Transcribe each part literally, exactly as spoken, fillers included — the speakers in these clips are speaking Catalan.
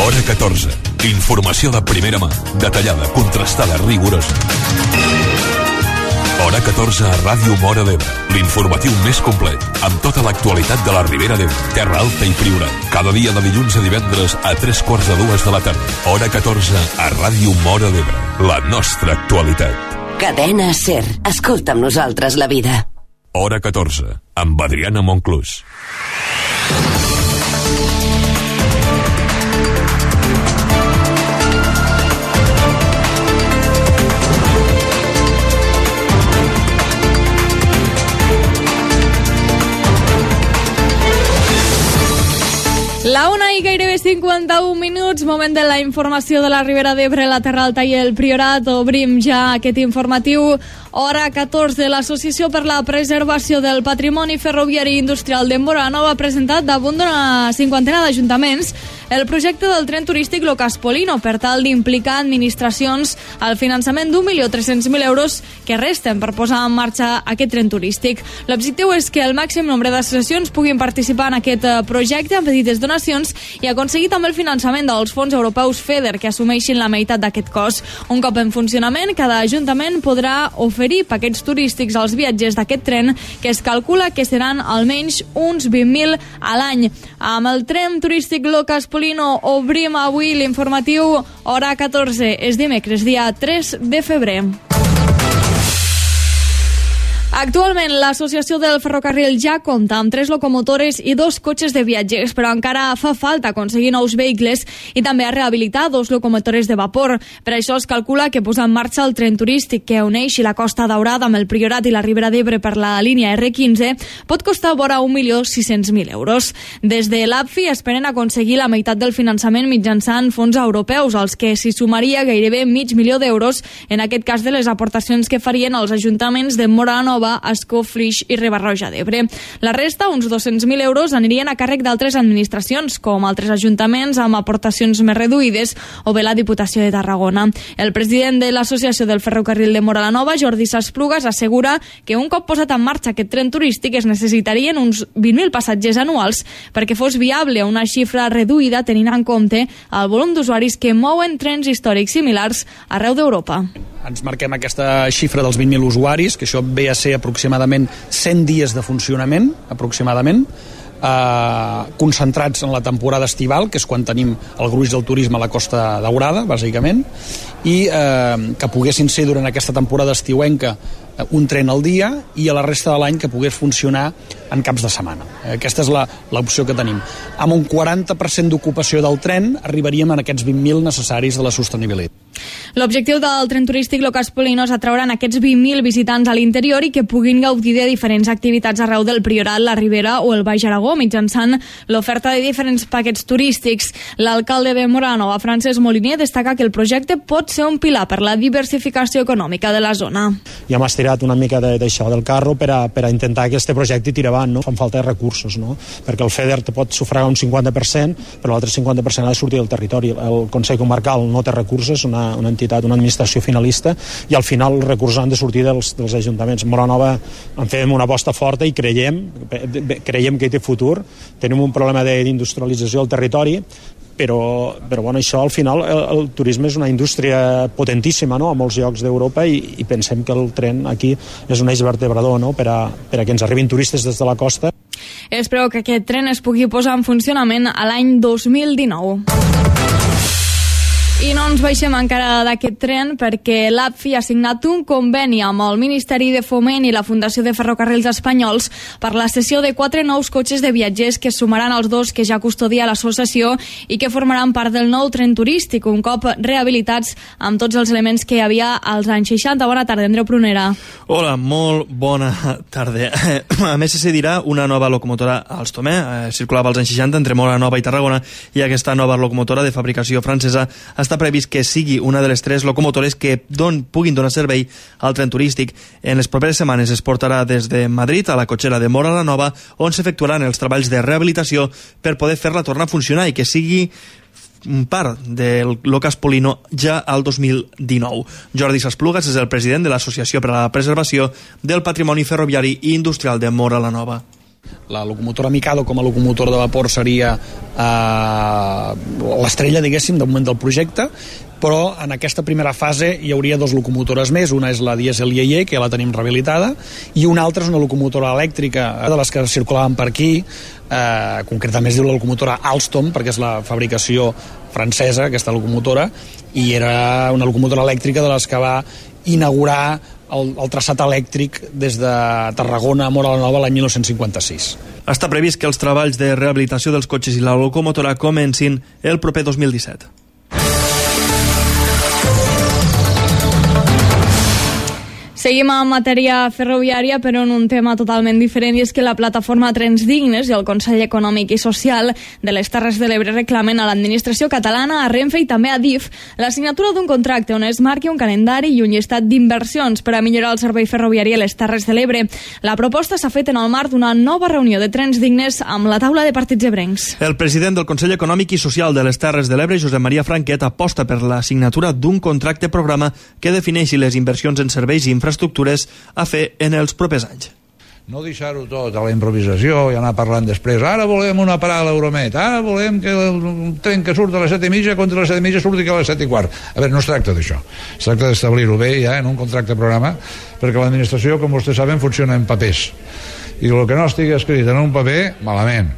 Hora catorze. Informació de primera mà, detallada, contrastada, rigorosa. Hora catorze a Ràdio Móra d'Ebre. L'informatiu més complet, amb tota l'actualitat de la Ribera d'Ebre, Terra Alta i Priorat. Cada dia de dilluns a divendres a tres quarts de dues de la tarda. Hora catorze a Ràdio Móra d'Ebre. La nostra actualitat. Cadena SER. Escolta amb nosaltres la vida. Hora catorze, amb Adriana Monclús. La una i gairebé cinquanta-un minuts, moment de la informació de la Ribera d'Ebre, la Terra Alta i el Priorat. Obrim ja aquest informatiu. Hora catorze, l'Associació per la Preservació del Patrimoni Ferroviari i Industrial de Móra la Nova ha presentat damunt d'una cinquantena d'ajuntaments el projecte del tren turístic Locas Polino per tal d'implicar administracions al finançament d'un milió tres-cents mil euros que resten per posar en marxa aquest tren turístic. L'objectiu és que el màxim nombre d'associacions puguin participar en aquest projecte amb petites donacions i aconseguir també el finançament dels fons europeus FEDER que assumeixin la meitat d'aquest cost. Un cop en funcionament, cada ajuntament podrà oferir paquets turístics als viatgers d'aquest tren, que es calcula que seran almenys uns vint mil a l'any. Amb el tren turístic Locas Polino obrim avui l'informatiu Hora catorze. És dimecres, dia tres de febrer. Actualment, l'Associació del Ferrocarril ja compta amb tres locomotores i dos cotxes de viatgers, però encara fa falta aconseguir nous vehicles i també a rehabilitar dos locomotores de vapor. Per això es calcula que posar en marxa el tren turístic que uneixi la Costa Daurada amb el Priorat i la Ribera d'Ebre per la línia erre quinze pot costar vora un milió sis-cents mil euros. Des de l'A P F I esperen aconseguir la meitat del finançament mitjançant fons europeus, als que s'hi sumaria gairebé mig milió d'euros, en aquest cas de les aportacions que farien els ajuntaments de Móra la Nova, Ascó, Flix i Riba-roja d'Ebre. La resta, uns dos-cents mil euros, anirien a càrrec d'altres administracions, com altres ajuntaments amb aportacions més reduïdes o bé la Diputació de Tarragona. El president de l'Associació del Ferrocarril de Móra la Nova, Jordi Sasplugas, assegura que un cop posat en marxa aquest tren turístic es necessitarien uns vint mil passatgers anuals perquè fos viable una xifra reduïda tenint en compte el volum d'usuaris que mouen trens històrics similars arreu d'Europa. Ens marquem aquesta xifra dels vint mil usuaris, que això ve a ser aproximadament cent dies de funcionament, aproximadament, eh, concentrats en la temporada estival, que és quan tenim el gruix del turisme a la Costa Daurada, bàsicament, i eh, que poguessin ser durant aquesta temporada estiuenca un tren al dia i a la resta de l'any que pogués funcionar en caps de setmana. Aquesta és l'opció que tenim. Amb un quaranta per cent d'ocupació del tren arribaríem a aquests vint mil necessaris de la sostenibilitat. L'objectiu del tren turístic Locas Polino és atraure aquests vint mil visitants a l'interior i que puguin gaudir de diferents activitats arreu del Priorat, la Ribera o el Baix Aragó mitjançant l'oferta de diferents paquets turístics. L'alcalde de Móra la Nova, Francesc Moliner, destaca que el projecte pot ser un pilar per la diversificació econòmica de la zona. Ja m'has tirat una mica d'això del carro per a, per a intentar que aquest projecte tiri avant, no? Fan falta recursos, no? Perquè el FEDER te pot sufragar un cinquanta per cent, però l'altre cinquanta per cent ha de sortir del territori. El Consell Comarcal no té recursos, una, una entitat, una administració finalista, i al final els recursos han de sortir dels, dels ajuntaments. Móra Nova en fem una aposta forta i creiem, creiem que hi té futur. Tenim un problema d'industrialització del territori, però, però bueno, això al final el, el turisme és una indústria potentíssima, no?, a molts llocs d'Europa, i, i pensem que el tren aquí és un eix vertebrador, no?, per a, per a que ens arribin turistes des de la costa. Es preveu que aquest tren es pugui posar en funcionament a l'any dos mil dinou. I no ens baixem encara d'aquest tren perquè l'A P F I ha signat un conveni amb el Ministeri de Foment i la Fundació de Ferrocarrils Espanyols per la cessió de quatre nous cotxes de viatgers que sumaran als dos que ja custodia l'associació i que formaran part del nou tren turístic, un cop rehabilitats amb tots els elements que hi havia als anys seixanta. Bona tarda, Andreu Prunera. Hola, molt bona tarda. A més, se cedirà una nova locomotora a Alstom, eh? Circulava als anys seixanta entre Móra Nova i Tarragona, i aquesta nova locomotora de fabricació francesa està previst que sigui una de les tres locomotores que don, puguin donar servei al tren turístic. En les properes setmanes es portarà des de Madrid a la cotxera de Móra la Nova, on s'efectuaran els treballs de rehabilitació per poder fer-la tornar a funcionar i que sigui part del Locas Polino ja al dos mil dinou. Jordi Sasplugas és el president de l'Associació per a la Preservació del Patrimoni Ferroviari i Industrial de Móra la Nova. La locomotora Mikado com a locomotora de vapor seria eh, l'estrella, diguéssim, de moment del projecte, però en aquesta primera fase hi hauria dues locomotores més. Una és la Diesel I E, que ja la tenim rehabilitada, i una altra és una locomotora elèctrica de les que circulaven per aquí, eh, concretament es diu la locomotora Alstom, perquè és la fabricació francesa, aquesta locomotora, i era una locomotora elèctrica de les que va inaugurar el, el traçat elèctric des de Tarragona a Móra la Nova l'any mil nou-cents cinquanta-sis. Està previst que els treballs de rehabilitació dels cotxes i la locomotora comencin el proper dos mil disset. Seguim en matèria ferroviària, però en un tema totalment diferent, i és que la plataforma Trens Dignes i el Consell Econòmic i Social de les Terres de l'Ebre reclamen a l'administració catalana, a Renfe i també a D I F la signatura d'un contracte on es marqui un calendari i un llistat d'inversions per a millorar el servei ferroviari a les Terres de l'Ebre. La proposta s'ha fet en el marc d'una nova reunió de Trens Dignes amb la taula de partits ebrencs. El president del Consell Econòmic i Social de les Terres de l'Ebre, Josep Maria Franquet, aposta per la signatura d'un contracte programa que defineixi les inversions en serveis i infraestructures infraestructures a fer en els propers anys. No deixar-ho tot a la improvisació i anar parlant després. Ara volem una parada a l'Euromet, ara volem que el tren que surt a les set i mitja contra les set i mitja surti que a les set i quart. A veure, no es tracta d'això. Es tracta d'establir-ho bé ja en un contracte programa, perquè l'administració, com vostès saben, funciona en papers. I el que no estigui escrit en un paper, malament.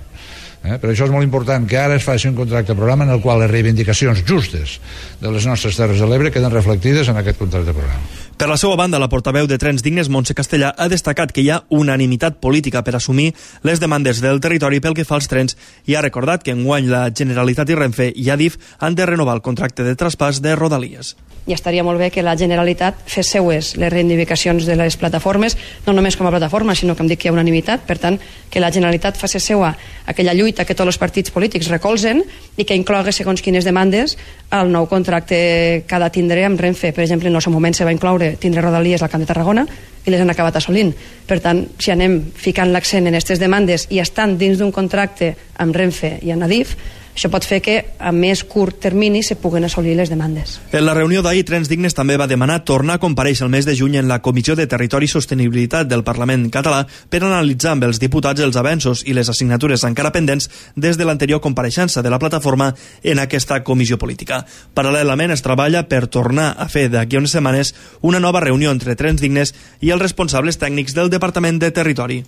Eh? Per això és molt important que ara es faci un contracte programa en el qual les reivindicacions justes de les nostres Terres de l'Ebre queden reflectides en aquest contracte programa. Per la seva banda, la portaveu de Trens Dignes, Montse Castellà, ha destacat que hi ha unanimitat política per assumir les demandes del territori pel que fa als trens i ha recordat que enguany la Generalitat i Renfe i A D I F han de renovar el contracte de traspàs de Rodalies. I estaria molt bé que la Generalitat fes seues les reivindicacions de les plataformes, no només com a plataforma, sinó que em dic que hi ha unanimitat, per tant, que la Generalitat faci seua aquella lluita que tots els partits polítics recolzen i que inclogui segons quines demandes al nou contracte que ha de tindre amb Renfe. Per exemple, en el seu moment se va incloure tindre Rodalies al Camp de Tarragona i les han acabat assolint. Per tant, si anem ficant l'accent en aquestes demandes i estan dins d'un contracte amb Renfe i amb A D I F, això pot fer que a més curt termini se puguen assolir les demandes. En la reunió d'ahir, Trens Dignes també va demanar tornar a comparèixer el mes de juny en la Comissió de Territori i Sostenibilitat del Parlament català per analitzar amb els diputats els avenços i les assignatures encara pendents des de l'anterior compareixença de la plataforma en aquesta comissió política. Paral·lelament es treballa per tornar a fer d'aquí a unes setmanes una nova reunió entre Trens Dignes i els responsables tècnics del Departament de Territori.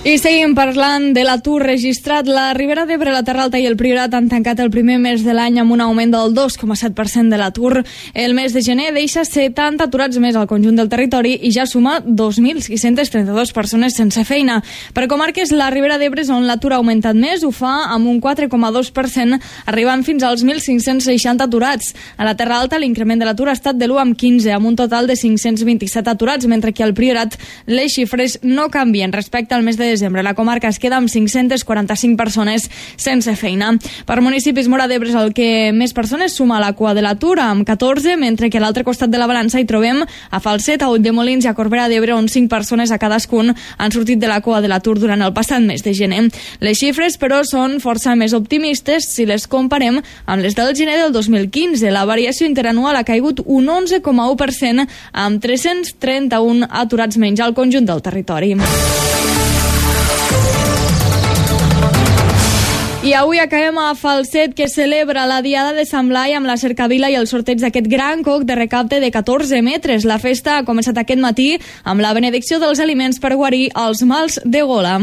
I seguim parlant de l'atur registrat. La Ribera d'Ebre, la Terra Alta i el Priorat han tancat el primer mes de l'any amb un augment del dos coma set per cent de l'atur. El mes de gener deixa setanta aturats més al conjunt del territori i ja suma dos mil sis-centes trenta-dues persones sense feina. Per comarques, la Ribera d'Ebre és on l'atur ha augmentat més, ho fa amb un quatre coma dos per cent, arribant fins als mil cinc-cents seixanta aturats. A la Terra Alta, l'increment de l'atur ha estat de l'u coma quinze, amb un total de cinc-cents vint-i-set aturats, mentre que al Priorat les xifres no canvien respecte al mes de desembre. La comarca es queda amb cinc-centes quaranta-cinc persones sense feina. Per municipis, Móra d'Ebre és el que més persones suma a la cua de l'atur, amb catorze, mentre que a l'altre costat de la balança hi trobem a Falset, a Ulldemolins i a Corbera d'Ebre, on cinc persones a cadascun han sortit de la cua de l'atur durant el passat mes de gener. Les xifres, però, són força més optimistes si les comparem amb les del gener del dos mil quinze. La variació interanual ha caigut un onze coma u per cent, amb tres-cents trenta-un aturats menys al conjunt del territori. I avui acabem a Falset, que celebra la Diada de Sant Blai amb la cercavila i el sorteig d'aquest gran coc de recapte de catorze metres. La festa ha començat aquest matí amb la benedicció dels aliments per guarir els mals de gola.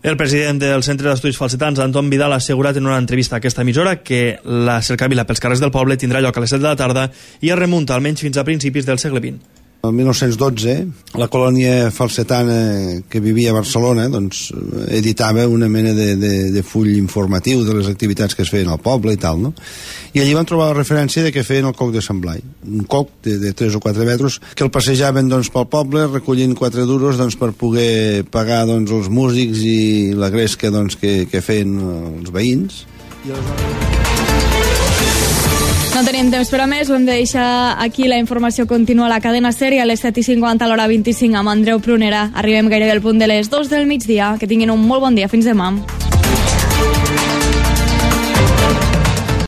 El president del Centre d'Estudis Falsetans, Anton Vidal, ha assegurat en una entrevista a aquesta emissora que la cercavila pels carrers del poble tindrà lloc a les set de la tarda i es remunta almenys fins a principis del segle vint. El mil nou-cents dotze, la colònia falsetana que vivia a Barcelona doncs, editava una mena de, de, de full informatiu de les activitats que es feien al poble i tal, no? I allí van trobar la referència de que feien el coc de Sant Blai, un coc de, de tres o quatre metres que el passejaven doncs, pel poble recollint quatre duros doncs, per poder pagar doncs, els músics i la gresca doncs, que, que feien els veïns. I aleshores... No tenim temps per a més, ho hem de deixar aquí. La informació continua a la cadena SER i a les set i cinquanta a l'hora vint-i-cinc amb Andreu Prunera. Arribem gairebé al punt de les dos del migdia. Que tinguin un molt bon dia. Fins demà.